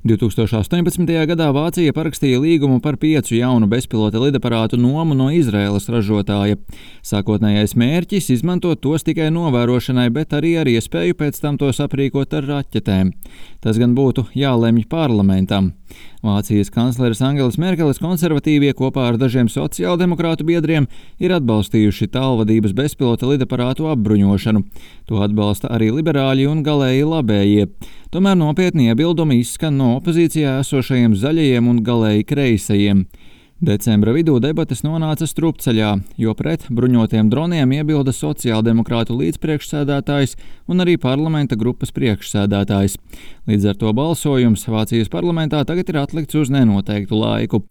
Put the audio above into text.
2018. gadā Vācija parakstīja līgumu par 5 jaunu bezpilota lidaparātu nomu no Izraēlas ražotāja. Sākotnējais mērķis izmantot tos tikai novērošanai, bet arī ar iespēju pēc tam tos aprīkot ar raķetēm. Tas gan būtu jālemj parlamentam. Vācijas kancleres Angelas Merkeles konservatīvie kopā ar dažiem sociāldemokrātu biedriem ir atbalstījuši tālvadības bezpilota lidaparātu apbruņošanu. To atbalsta arī liberāļi un galēji labējie. Tomēr nopietni iebildumi izskan no opozīcijā esošajiem zaļajiem un galēji kreisajiem. Decembra vidū debates nonāca strupceļā, jo pret bruņotiem droniem iebilda sociāldemokrātu līdzpriekšsēdētājs un arī parlamenta grupas priekšsēdētājs. Līdz ar to balsojums Vācijas parlamentā tagad ir atlikts uz nenoteiktu laiku.